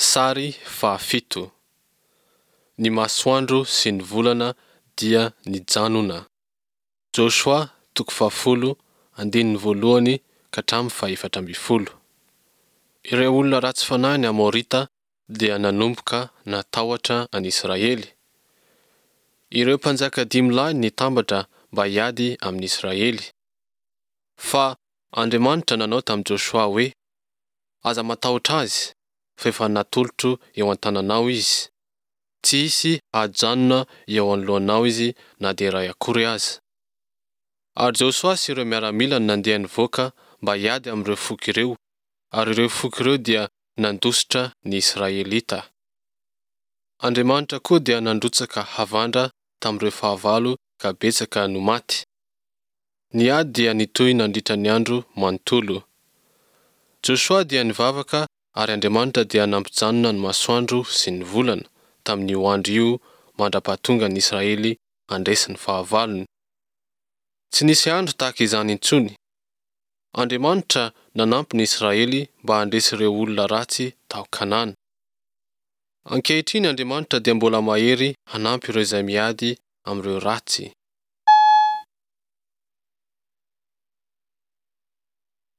Sary fahafito. Ny masoandro sy ny volana dia nijanona. Josoa toko fahafolo andininy voalohany ka hatramin'ny fahefatra ambin'ny folo. Ireo olona ratsy fanahy ny Amorita dia nanomboka natahotra an'Israely. Ireo mpanjaka dimy lahy nitambatra mba hiady amin'Israely. Fa Andriamanitra nanao tamin'i Josoa hoe, Aza matahotra azy, fa efa natolotro eo an-tananao izy. Tsy hisy hahajanona eo anoloanao izy na dia iray akory aza. Ary Josoa sy ireo miaramilany nandeha nivoaka mba hiady amin'ireo foko ireo, ary ireo foko ireo dia nandositra ny Israelita. Andriamanitra koa dia nandrotsaka havandra tamin'ireo fahavalo ka betsaka no maty. Ny ady dia nitohy nandritra ny andro manontolo. Josoa dia nivavaka ary Andriamanitra dia nampijanona ny masoandro sy ny volana tamin'io andro io mandra-pahatonga ny Israely handresy ny fahavalony. Tsy nisy andro tahaka izany intsony. Andriamanitra nanampy ny Israely mba handresy ireo olona ratsy tao Kanana. Ankehitriny Andriamanitra dia mbola mahery hanampy ireo izay miady amin'ireo ratsy.